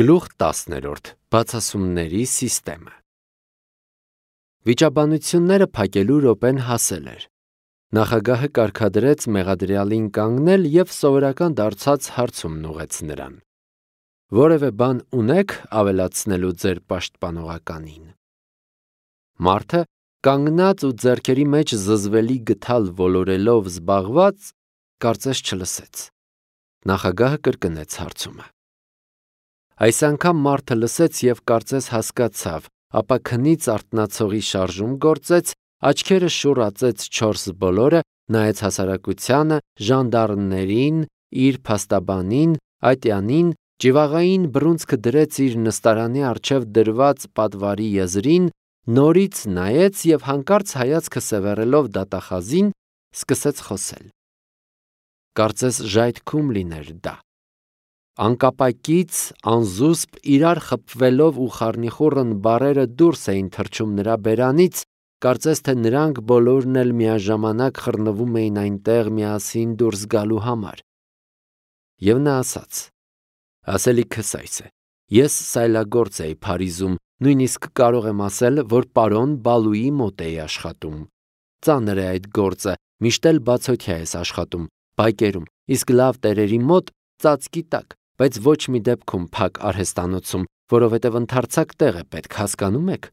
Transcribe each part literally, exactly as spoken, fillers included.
Գլուխ տասներորդ. Բացասումների սիստեմը։ Վիճաբանությունները փակելու րոպեն հասել էր։ Նախագահը կարգադրեց մեղադրյալին կանգնել և սովորական դարձած հարցումն ուղղեց նրան. «Որևէ բան ունե՞ք ավելացնելու ձեր պաշտպանողականին»։ Մարդը, կանգնած ու ձեռքերի մեջ զզվելի գդալ ոլորելով զբաղված, կարծես չլսեց։ Նախագահը կրկնեց հարցումը։ Այս անգամ մարդը լսեց և կարծես հասկացավ, ապա քնից արթնացողի շարժում գործեց, աչքերը շուռացեց չորս բոլորը, նայեց հասարակությանը, ժանդարմներին, իր փաստաբանին, ատյանին, ճիվաղային բռունցքը դրեց իր նստարանի առջև դրված պատվարի եզրին, նորից նայեց և հանկարծ հայացքը սևեռելով դատախազին, սկսեց խոսել։ Կարծես ժայթքում լիներ դա։ Անկապակից, անզուսպ, իրար խփվելով ու խառնիխուռն բառերը դուրս էին թռչում նրա բերանից, կարծես թե նրանք բոլորն էլ միաժամանակ խռնվում էին այնտեղ միասին դուրս գալու համար։ Եվ նա ասաց. «Ասելիքս այս է. ես սայլագործ էի Փարիզում, նույնիսկ կարող եմ ասել, որ պարոն Բալուի մոտ էի աշխատում։ Ծանր է այդ գործը, միշտ էլ բացօթյա ես աշխատում, բակերում, իսկ լավ տերերի մոտ ծածկի տակ, բայց ոչ մի դեպքում փակ արհեստանոցում, որովհետև ընդարձակ տեղ է պետք, հասկանո՞ւմ եք։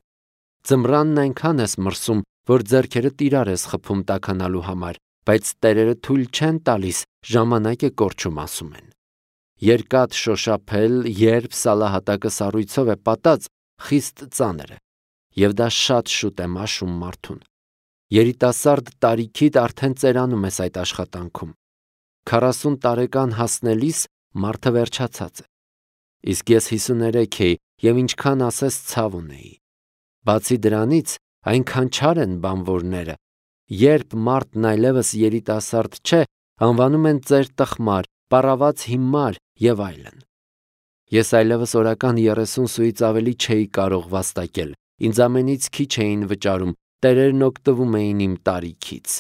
Ձմռանն այնքան ես մրսում, որ ձեռքերդ իրար ես խփում տաքանալու համար, բայց տերերը թույլ չեն տալիս, ժամանակ է կորչում, ասում են։ Երկաթ շոշափել, երբ սալահատակը սառույցով է պատած, խիստ ծանր է, և դա շատ շուտ է մաշում մարդուն։ Երիտասարդ տարիքիդ արդեն ծերանում ես այդ աշխատանքում։ Քառասուն տարեկան հասնելիս մարդը վերջացած է։ Իսկ ես հիսուներեք էի և ինչքան ասես ցավ ունեի։ Բացի դրանից, այնքան չար են բանվորները, երբ մարդն այլևս երիտասարդ չէ, անվանում են ծեր տխմար, պառավաց հիմար և այլն։ Ես այլևս օրական երեսուն սուից ավելի չէի կարող վաստակել, ինձ ամենից քիչ էին վճարում, տերերն օգտվում էին իմ տարիքից։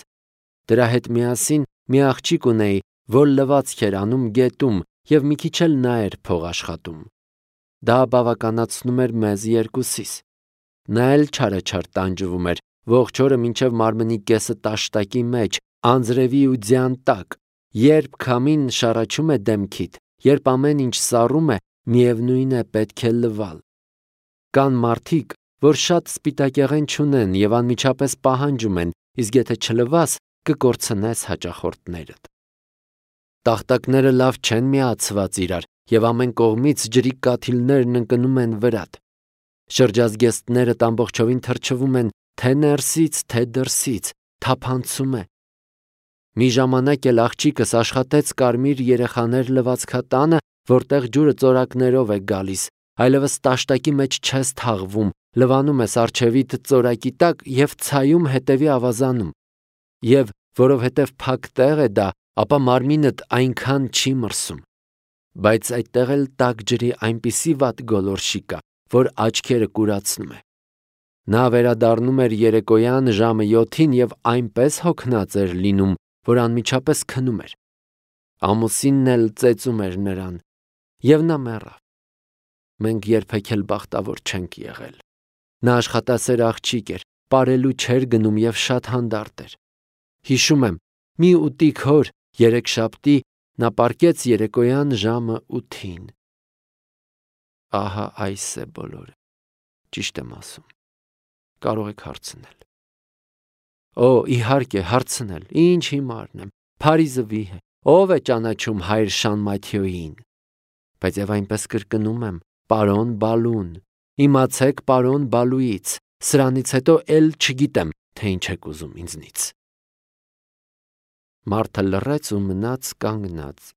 Դրա հետ միասին մի աղջիկ ունեի, որ լվացք էր անում գետում և մի քիչ էլ նա էր փող աշխատում։ Դա բավականացնում էր մեզ երկուսիս։ Նա էլ չարաչար տանջվում էր, ողջ օրը մինչև մարմնի կեսը տաշտակի մեջ, անձրևի ու ձյան տակ, երբ քամին շառաչում է դեմքիդ, երբ ամեն ինչ սառում է, միևնույն է, պետք է լվալ։ Կան մարդիկ, որ շատ սպիտակեղեն չունեն և անմիջապես պահանջում են, իսկ եթե չլվաս, կկորցնես հաճախորդներդ։ Տախտակները լավ չեն միացված իրար, և ամեն կողմից ջրի կաթիլներն ընկնում են վրադ։ Շրջազգեստներդ ամբողջովին թրջվում են թե ներսից, թե դրսից, թափանցում է։ Մի ժամանակ էլ աղջիկս աշխատեց կարմիր երեխաներ լվացքատանը, որտեղ ջուրը ծորակներով է գալիս, այլևս տաշտակի մեջ չես թաղվում, լվանում ես առջևիդ ծորակի տակ և ցայում հետևի ավազանում։ Եվ որովհետև փակ տեղ է դա, ապա մարմինդ այնքան չի մրսում։ Բայց այդտեղ էլ տաք ջրի այնպիսի վատ գոլորշի կա, որ աչքերը կուրացնում է։ Նա վերադառնում էր երեկոյան ժամը յոթին և այնպես հոգնած էր լինում, որ անմիջապես քնում էր։ Ամուսինն էլ ծեծում էր նրան, և նա մեռավ։ Մենք երբեք էլ բախտավոր չենք եղել։ Նա աշխատասեր աղջիկ էր, պարելու չէր գնում և շատ հանդարտ էր։ Հիշում եմ, մի ուտիկ օր, երեքշաբթի, նա պառկեց երեկոյան ժամը ութին։ Ահա այս է բոլորը։ Ճիշտ եմ ասում։ Կարող եք հարցնել։ Օ, իհարկե, հարցնել, ինչ հիմարն եմ, Փարիզը վիհ է, ով է ճանաչում հայր Շանմաթիոյին։ Բայց և այնպես կրկնում եմ, պարոն Բալուն, իմացեք պարոն Բալուից, սրանից հետո էլ չգիտեմ, թե ինչ եք ուզում ինձնից։ Մարդը լռեց ու մնաց կանգնած։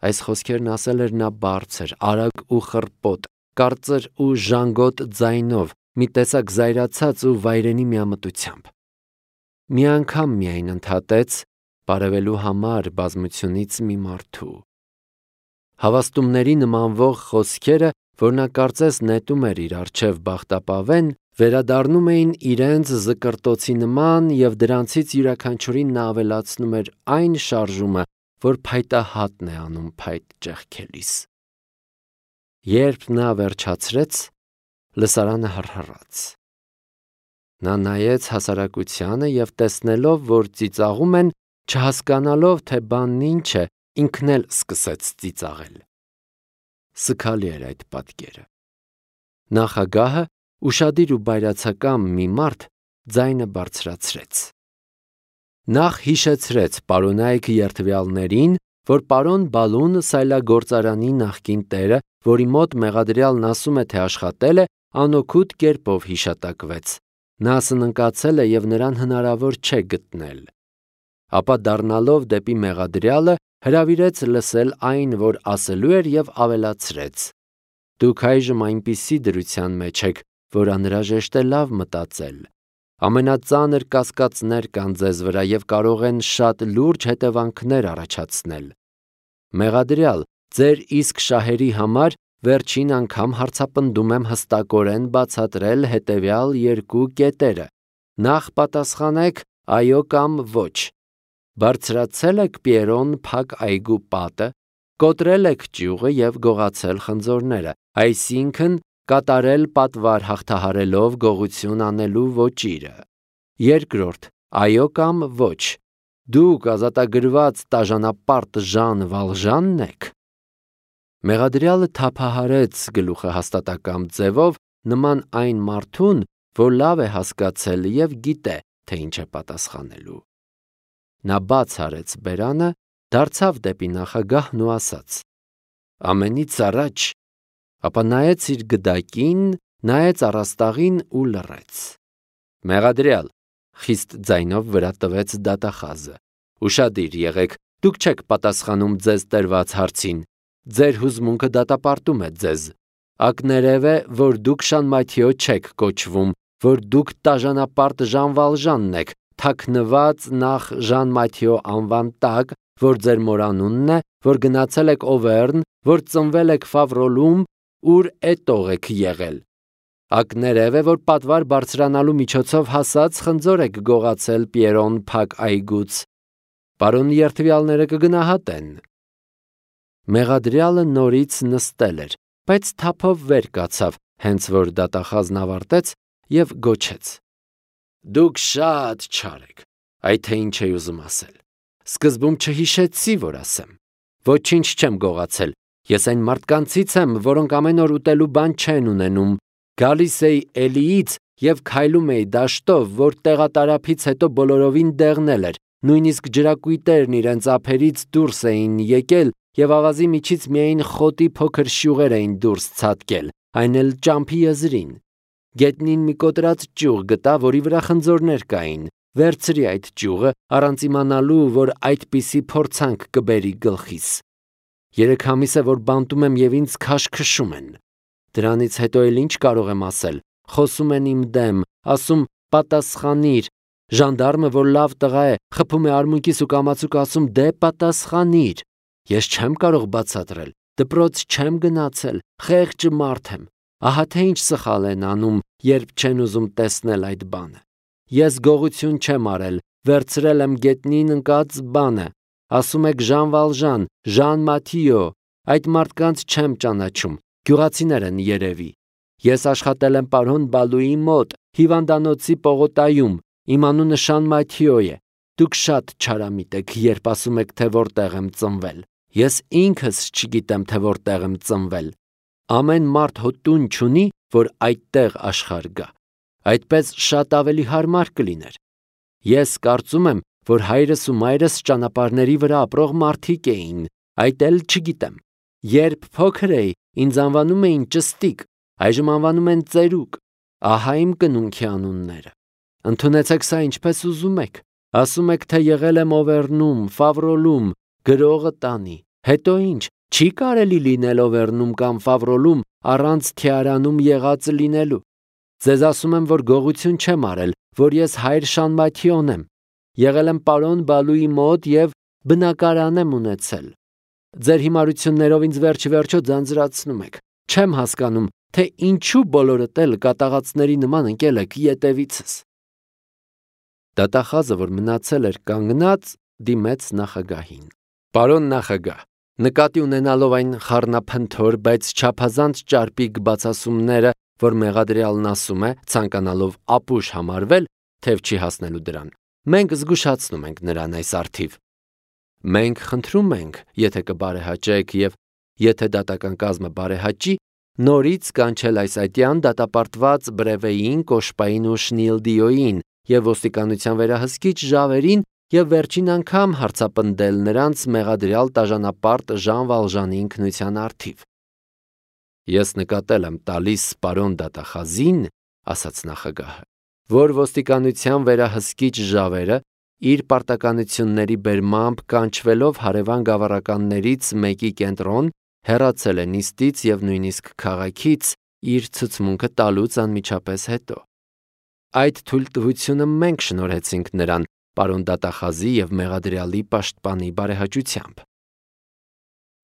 Այս խոսքերն ասել էր նա բարձր, արագ ու խռպոտ, կարծր ու ժանգոտ ձայնով, մի տեսակ զայրացած ու վայրենի միամտությամբ։ Մի անգամ միայն ընդհատեց, բարևելու համար բազմությունից մի մարդու։ Հավաստումների նմանվող խոսքերը, որ նա կարծես նետում էր իր առջև բախտապավեն, վերադառնում էին իրենց զկրտոցի նման և դրանցից յուրաքանչյուրին նա ավելացնում էր այն շարժումը, որ փայտահատն է անում փայտ ճեղքելիս։ Երբ նա վերջացրեց, լսարանը հռհռաց։ Նա նայեց հասարակությանը և տեսնելով, որ ծիծաղում են, չհասկանալով, թե բանն ինչ է, ինքն էլ սկսեց ծիծաղել։ Սգալի էր այդ պատկերը։ Նախագահը, ուշադիր ու բայրացակամ մի մարդ, ձայնը բարձրացրեց։ Նախ հիշեցրեց պարոնայք երդվյալներին, որ պարոն Բալուն սայլագործարանի նախկին տերը, որի մոտ մեղադրյալն ասում է, թե աշխատել է, անօգուտ կերպով հիշատակվեց։ Նա սննկացել է և նրան հնարավոր չէ գտնել։ Ապա դառնալով դեպի մեղադրյալը, հրավիրեց լսել այն, որ ասելու էր, և ավելացրեց. «Դուք այժմ այնպիսի դրության մեջ եք, որ անհրաժեշտ է լավ մտածել։ Ամենածանր կասկածներ կան ձեզ վրա և կարող են շատ լուրջ հետևանքներ առաջացնել։ Մեղադրյալ, ձեր իսկ շահերի համար վերջին անգամ հարցապնդում եմ հստակորեն բացատրել հետևյալ երկու կետերը. նախ պատասխանեք այո կամ ոչ։ Բարձրացել եք Պիերոն փակ այգու պատը, կոտրել եք ճյուղը և գողացել խնձորները, այսինքն կատարել պատվար հաղթահարելով գողություն անելու ոճիրը։ Երկրորդ, այո կամ ոչ։ Դուք ազատագրված տաժանապարտ Ժան Վալժանն եք։ Մեղադրյալը թափահարեց գլուխը հաստատակամ ձևով, նման այն մարդուն, որ լավ է հասկացել և գիտե, թե ինչ է պատասխանելու։ Նա բաց արեց բերանը, դարձավ դեպի նախագահն ու ասաց. ամենից առաջ, ապա նայեց իր գդակին, նայեց առաստաղին ու լռեց։ Մեղադրյալ, խիստ ձայնով վրա տվեց դատախազը, ուշադիր եղեք, դուք չեք պատասխանում ձեզ տրված հարցին, ձեր հուզմունքը դատապարտում է ձեզ։ Ակներև է, որ դուք Շան Մաթիո չեք կոչվում, որ դուք տաժանապարտ Ժան Վալժանն եք, թաքնված նախ Ժան Մաթիո անվան տակ, որ ձեր մոր անունն է, որ գնացել եք Օվերն, որ ծնվել եք Ֆավրոլում, ուր էտող եք եղել։ Ակներև է, որ պատվար բարձրանալու միջոցով հասած խնձոր եք գողացել Պիերոն փակ այգուց։ Պարոն երդվյալները կգնահատեն։ Մեղադրյալը նորից նստել էր, բայց թափով վեր կացավ, հենց որ դատախազն ավարտեց և գոչեց. Դուք շատ չար եք, այ թե ինչ էի ուզում ասել։ Սկզբում չհիշեցի, որ ասեմ։ Ոչինչ չեմ գողացել, ես այն մարդկանցից եմ, որոնք ամեն օր ուտելու բան չեն ունենում։ Գալիս էի Էլիից և քայլում էի դաշտով, որ տեղատարափից հետո բոլորովին դեղնել էր, նույնիսկ ջրակույտերն իրենց ափերից դուրս էին եկել և ավազի միջից միայն խոտի փոքր շյուղեր էին դուրս ցատկել, այն էլ ճամփի եզրին։ Գետնին մի կոտրած ճյուղ գտա, որի վրա խնձորներ կային, վերցրի այդ ճյուղը, առանց իմանալու, որ այդպիսի փորձանք կբերի գլխիս։ Երեք ամիս է, որ բանտում եմ և ինձ քաշքշում են։ Դրանից հետո էլ ինչ կարող եմ ասել, խոսում են իմ դեմ, ասում պատասխանիր, ժանդարմը, որ լավ տղա է, խփում է արմունկիս ու կամացուկ ասում դե պատասխանիր։ Ես չեմ կարող բացատրել, դպրոց չեմ գնացել, խեղճ մարդ եմ, ահա թե ինչ սխալ են անում, երբ չեն ուզում տեսնել այդ բանը։ Ես գողություն չեմ արել, վերցրել եմ գետնին ընկած բանը, ասում եք Ժան Վալժան, Ժան Մաթիո, այդ մարդկանց չեմ ճանաչում, գյուղացիներ են երևի։ Ես աշխատել եմ պարոն Բալուի մոտ, հիվանդանոցի պողոտայում, իմ անունը Շան Մաթիո է։ Դուք շատ չարամիտ եք, երբ ասում եք, թե որտեղ եմ ծնվել։ Ես ինքս չգիտեմ, թե որտեղ եմ ծնվել։ Ամեն մարդ հո տուն չունի, որ այդտեղ աշխարհ գա։ Այդպես շատ ավելի հարմար կլիներ։ Ես կարծում եմ, որ հայրս ու մայրս ճանապարհների վրա ապրող մարդիկ էին, այդ էլ չգիտեմ։ Երբ փոքր էի, ինձ անվանում էին Ճստիկ, այժմ անվանում են Ծերուկ։ Ահա իմ կնունքի անունները։ Ընդունեցեք սա ինչպես ուզում եք։ Ասում եք, թե եղել եմ Օվերնում, Ֆավրոլում, գրողը տանի։ Հետո ինչ, չի կարելի լինել Օվերնում կամ Ֆավրոլում առանց Թիարանում եղած լինելու։ Ձեզ ասում եմ, որ գողություն չեմ արել, որ ես հայր Շան Մաթիոն եմ։ Եղել եմ պարոն Բալուի մոտ և բնակարան եմ ունեցել։ Ձեր հիմարություններով ինձ վերջ-վերջո ձանձրացնում եք։ Չեմ հասկանում, թե ինչու բոլորդ էլ կատաղածների նման ընկել եք ետևիցս։ Դատախազը, որ մնացել էր կանգնած, դիմեց նախագահին. Պարոն նախագահ, Նկատի ունենալով այն խառնափնթոր, բայց չափազանց ճարպիկ բացասումները, որ մեղադրյալն ասում է, ցանկանալով ապուշ համարվել, թեև չի հասնելու դրան, մենք զգուշացնում ենք նրան այս առթիվ։ Մենք խնդրում ենք, եթե կբարեհաճեք եւ եթե դատական կազմը բարեհաճի, նորից կանչել այս այդյան դատապարտված Բրևեին, Կոշպային ու Շնիլդիոյին եւ ոստիկանության վերահսկիչ Ժավերին եւ վերջին անգամ հարցապնդել նրանց մեղադրյալ տաժանապարտ Ժան Վալժանի ինքնության առթիվ։ Ես նկատել եմ տալիս պարոն դատախազին, ասաց նախագահը, որ ոստիկանության վերահսկիչ Ժավերը իր պարտականությունների բերմամբ կանչվելով հարևան գավառականներից մեկի կենտրոն, հեռացել է նիստից եւ նույնիսկ քաղաքից իր ցուցմունքը տալուց անմիջապես հետո։ Այդ թույլտվությունը մենք շնորհեցինք նրան պարոն դատախազի եւ մեղադրյալի պաշտպանի բարեհաճությամբ։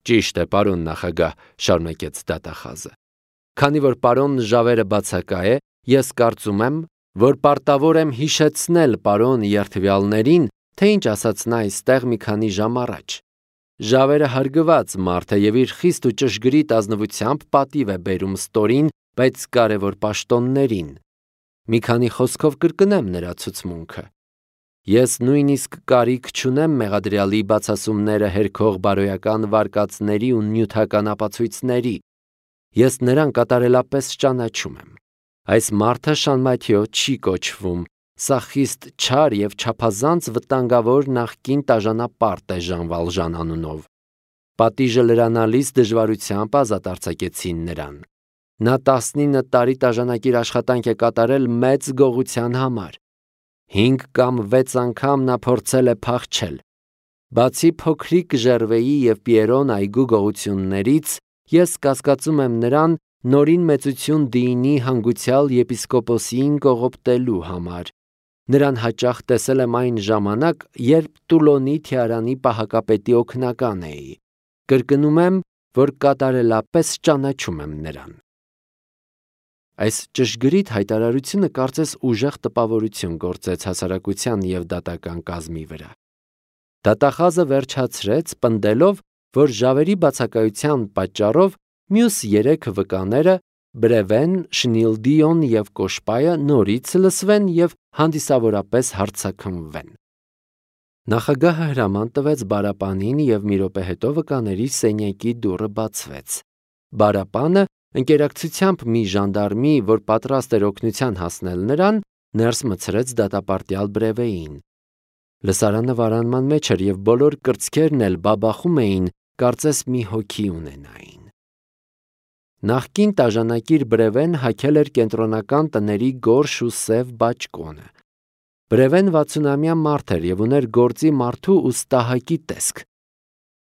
Ճիշտ է, պարոն նախագահ, շարունակեց դատախազը։ Քանի որ պարոն Ժավերը բացակա է, ես կարծում եմ, որ պարտավոր եմ հիշեցնել պարոն երթվյալներին, թե ինչ ասաց նա այստեղ մի քանի ժամ առաջ։ Ժավերը հարգված մարդ է եւ իր խիստ ու ճշգրիտ ազնվությամբ պատիվ է բերում ստորին, բայց կարևոր պաշտոններին։ Մի քանի խոսքով կրկնեմ նրա ցուցմունքը։ Ես նույնիսկ կարիք չունեմ մեղադրյալի բացասումները հերքող բարոյական վարկածների ու նյութական ապացույցների։ Ես նրան կատարելապես ճանաչում եմ։ Այս մարդը Շանմաթիո չի կոչվում, սա խիստ չար եւ չափազանց վտանգավոր նախկին տաժանապարտ է Ժան Վալժան անունով։ Պատիժը լրանալիս դժվարությամբ ազատ արձակեցին նրան։ Նա տասնինը տարի տաժանակիր աշխատանք է կատարել մեծ գողության համար։ Հինգ կամ վեց անգամ նա փորձել է փախչել։ Բացի փոքրիկ Ժերվեի եւ Պիերոն այգու գողություններից, ես կասկածում եմ նրան նորին մեծություն դինի հանգուցյալ եպիսկոպոսին կողոպտելու համար։ Նրան հաճախ տեսել եմ այն ժամանակ, երբ Տուլոնի թիարանի պահակապետի օգնական էի։ Կրկնում եմ, որ կատարելապես ճանաչում եմ նրան։ Այս ճշգրիտ հայտարարությունը կարծես ուժեղ տպավորություն գործեց հասարակության եւ դատական կազմի վրա։ Դատախազը վերջացրեց, պնդելով, որ Ժավերի բացակայության պատճառով մյուս երեք վկաները Բրևեն, Շնիլդիոն եւ Կոշպայը նորից լսվեն եւ հանդիսավորապես հարձակվեն։ Նախագահը հրաման տվեց բարապանին եւ մի րոպե հետո վկաների սենյակի դուռը բացվեց։ Բարապանը ընկերակցությամբ մի ժանդարմի, որ պատրաստ էր օգնության հասնել նրան, ներս մցրեց դատապարտյալ Բրևեին։ Լսարանը վարանման մեջ էր եւ բոլոր կրծքերն էլ բաբախում էին, կարծես մի հոգի ունենային։ Նախկին տաժանակիր Բրևեն հագել էր կենտրոնական տների գորշ ու սև բաճկոնը։ Բրևեն վաթսունամյա մարդ էր եւ ուներ գործի մարդու ու ստահակի տեսք։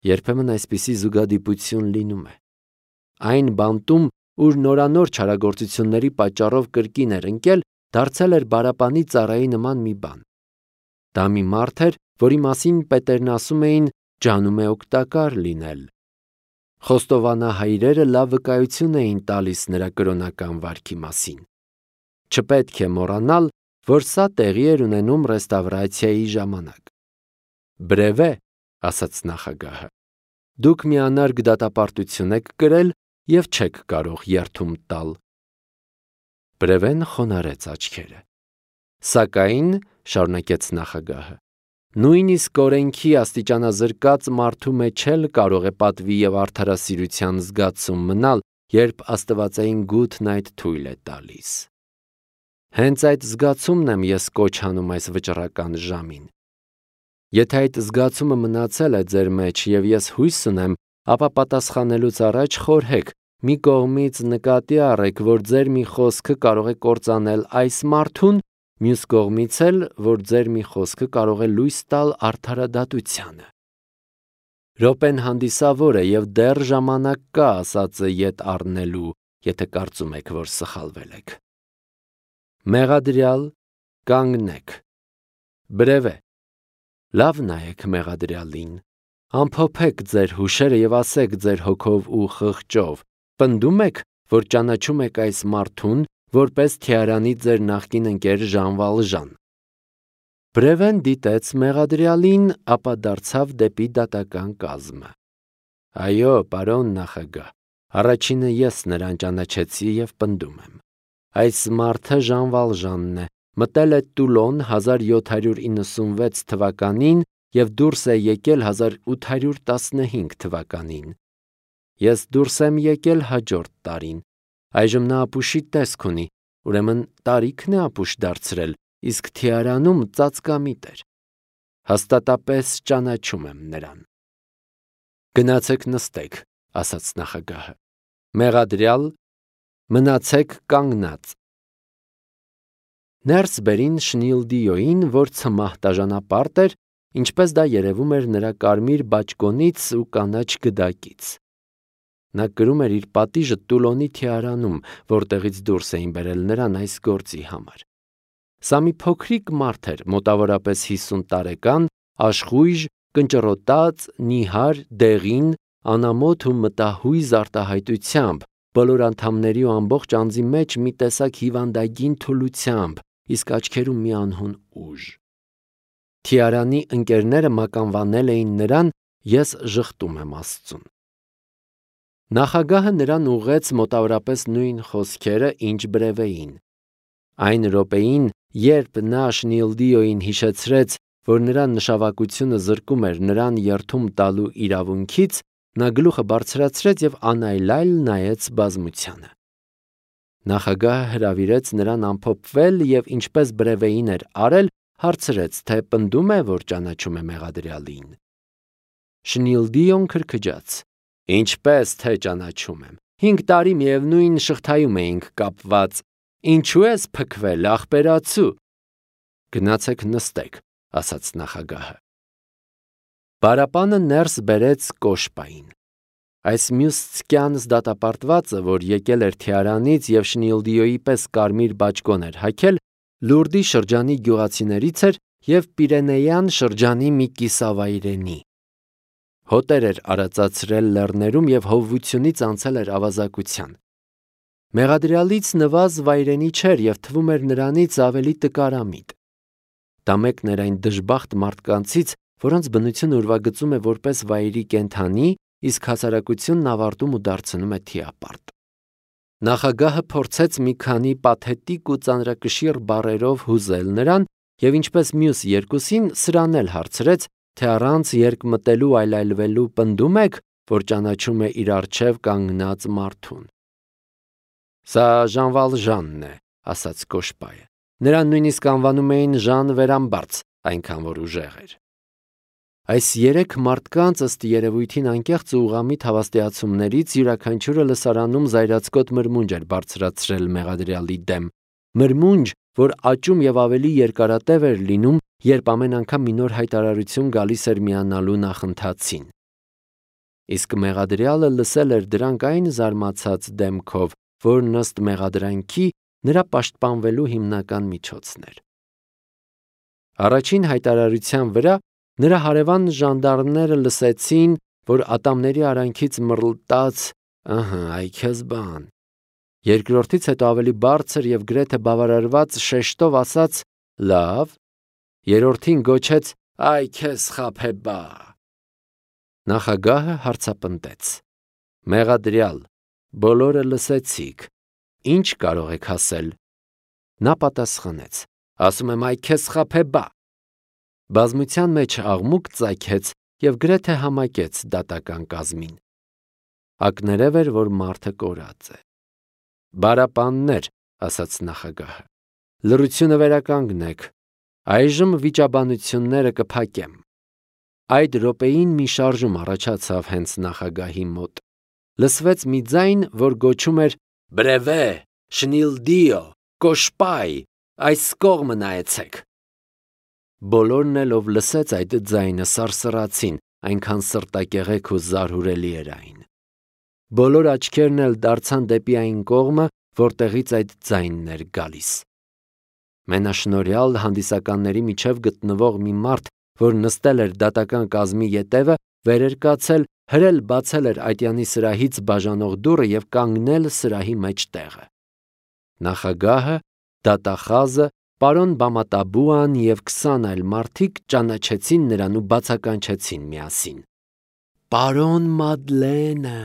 Երբեմն այսպիսի զուգադիպություն լինում է։ Այն բանտում, ուր նորանոր չարագործությունների պատճառով կրկին էր ընկել, դարձել էր բարապանի ծառայի նման մի բան։ Դա մի մարդ էր, որի մասին պետերն ասում էին ջանում է օգտակար լինել։ Խոստովանահայրերը լավ վկայություն էին տալիս նրա կրոնական վարքի մասին։ Չպետք է մոռանալ, որ սա տեղի էր ունենում ռեստավրացիայի ժամանակ։ Բրևե, ասաց նախագահը, դուք մի անարգ դատապարտություն եք կրել եւ չեք կարող երթում տալ։ Բրևեն խոնարհեց աչքերը։ Սակայն, շարունակեց նախագահը, նույնիսկ օրենքի աստիճանազրկած մարդու մեջ էլ կարող է պատվի եւ արդարասիրության զգացում մնալ, երբ աստվածային գութն այդ թույլ է տալիս։ Հենց այդ զգացումն եմ ես կոչ անում այս վճռական ժամին։ Եթե այդ զգացումը մնացել է ձեր մեջ եւ ես հույս ունեմ, ապա պատասխանելուց առաջ խորհեք, մի կողմից նկատի առեք, որ ձեր մի խոսքը կարող է կործանել այս մարդուն, մյուս կողմից էլ, որ ձեր մի խոսքը կարող է լույս տալ արդարադատությանը։ Րոպեն հանդիսավոր է եւ դեռ ժամանակ կա ասածը ետ առնելու, եթե կարծում եք, որ սխալվել եք։ Մեղադրյալ, կանգնեք։ Բրևե, լավ նայեք մեղադրյալին, ամփոփեք ձեր հուշերը եւ ասեք ձեր հոգով ու խղճով, պնդում եք, որ ճանաչում եք այս մարդուն, որպես թիարանի ձեր նախկին ընկեր Ժան Վալժան։ Բրևեն դիտեց մեղադրյալին, ապա դարձավ դեպի դատական կազմը։ Այո, պարոն նախագահ, առաջինը ես նրան ճանաչեցի և պնդում եմ։ Այս մարդը Ժան Վալժանն է, մտել է Տուլոն հազար յոթ հարյուր իննսունվեց թվականին և դուրս է եկել հազար ութ հարյուր տասնհինգ թվականին։ Ես դուրս եմ եկել հաջորդ տարին։ Այժմ նա ապուշի տեսք ունի, ուրեմն տարիքն է ապուշ դարձրել, իսկ թիարանում ծածկամիտ էր։ Հաստատապես ճանաչում եմ նրան։ Գնացեք նստեք, ասաց նախագահը։ Մեղադրյալ, մնացեք կանգնած։ Ներս բերին Շնիլդիոյին, որ ցմահ տաժանապարտ էր, ինչպես դա երևում էր նրա կարմիր բաճկոնից ու կանաչ գդակից։ Նա կրում էր իր պատիժը Տուլոնի թիարանում, որտեղից դուրս էին բերել նրան այս գործի համար։ Սա մի փոքրիկ մարդ էր, մոտավորապես հիսուն տարեկան, աշխույժ, կնճռոտած, նիհար, դեղին, անամոթ ու մտահույզ արտահայտությամբ, բոլոր անդամների ու ամբողջ անձի մեջ մի տեսակ հիվանդագին թուլությամբ, իսկ աչքերում մի անհուն ուժ։ Թիարանի ընկերները մականվանել էին նրան, ես ժխտում եմ Աստծուն։ Նախագահը նրան ուղղեց մոտավորապես նույն խոսքերը, ինչ Բրևեին։ Այն րոպեին, երբ նա Շնիլդիոյին հիշեցրեց, որ նրա նշավակությունը զրկում էր նրան երդում տալու իրավունքից, նա գլուխը բարձրացրեց և անայլայլ նայեց բազմությանը։ Նախագահը հրավիրեց նրան ամփոփվել և ինչպես Բրևեին էր արել, հարցրեց, թե պնդում է, որ ճանաչում է մեղադրյալին։ Շնիլդիոն քրքջաց. Ինչպես թե ճանաչում եմ, հինգ տարի միևնույն շղթայում էինք կապված, ինչու ես փքվել, ախպերացու։ Գնացեք նստեք, ասաց նախագահը։ Բարապանը ներս բերեց կոշպային։ Այս մյուս ցկյանս դատապարտվածը, որ եկել էր թիարանից և Շնիլդիոյի պես կարմիր բաճկոն էր հագել, Լուրդի շրջանի գյուղացիներից էր և Պիրենեյան շրջանի մի կիսավայրենի։ Հոտեր էր արածացրել լեռներում և հովվությունից անցել էր ավազակության։ Մեղադրյալից նվազ վայրենի չէր և թվում էր նրանից ավելի տկարամիտ։ Դա մեկն էր այն դժբախտ մարդկանցից, որոնց բնությունը ուրվագծում է որպես վայրի կենդանի, իսկ հասարակությունն ավարտում ու դարձնում է թիապարտ։ Նախագահը փորձեց մի քանի պաթետիկ ու ծանրակշիռ բառերով հուզել նրան և ինչպես մյուս երկուսին սրան էլ հարցրեց, թե առանց երկմտելու այլայլվելու պնդում եք, որ ճանաչում է իր առջև կանգնած մարդուն։ Սա Ժան Վալժանն է, ասաց կոշպայը։ Նրան նույնիսկ անվանում էին Ժան Վերամբարձ, այնքան որ ուժեղ էր։ Այս երեք մարդկանց ըստ երևույթին անկեղծ ու ուղղամիտ հավաստիացումներից յուրաքանչյուրը լսարանում զայրացկոտ մրմունջ էր բարձրացրել մեղադրյալի դեմ, մրմունջ, որ աճում և ավելի երկարատև էր լինում, երբ ամեն անգամ մի նոր հայտարարություն գալիս էր միանալու նախընթացին։ Իսկ մեղադրյալը լսել էր դրանք այն զարմացած դեմքով, որն ըստ մեղադրանքի նրա պաշտպանվելու հիմնական միջոցն էր։ Առաջին հայտարարության վրա նրա հարևան ժանդարմները լսեցին, որ ատամների արանքից մռլտաց «ըհը, այ քեզ բան»։ Երկրորդից հետո ավելի բարձր և գրեթե բավարարված շեշտով ասաց «լավ», երրորդին գոչեց «այ քեզ խաբեբա»։ Նախագահը հարցապնդեց. Մեղադրյալ, բոլորը լսեցիք, ինչ կարող եք ասել։ Նա պատասխանեց. ասում եմ, այ քեզ խաբեբա։ Բազմության մեջ աղմուկ ծագեց և գրեթե համակեց դատական կազմին։ Ակներև էր, որ մարդը կորած է։ Բարապաններ, ասաց նախագահը, լռությունը վերականգնեք, այժմ վիճաբանությունները կփակեմ։ Այդ րոպեին մի շարժում առաջացավ հենց նախագահի մոտ։ Լսվեց մի ձայն, որ գոչում էր «Բրևե, Շնիլդիո, կոշպայ, այս կողմը նայեցեք»։ Բոլորն էլ, ով լսեց այդ ձայնը, սարսռացին, այնքան սրտակեղեք ու զարհուրելի էր այն։ Բոլոր աչքերն էլ դարձան դեպի այն կողմը, որտեղից այդ ձայնն էր գալիս։ Մենաշնորհյալ հանդիսականների միջև գտնվող մի մարդ, որ նստել էր դատական կազմի ետևը, վեր էր կացել, հրել բացել էր ատյանի սրահից բաժանող դուռը և կանգնել սրահի մեջտեղը։ Նախագահը, դատախազը, պարոն Բամատաբուան և քսան այլ մարդիկ ճանաչեցին նրան ու բացականչեցին միասին. Պարոն Մադլենը,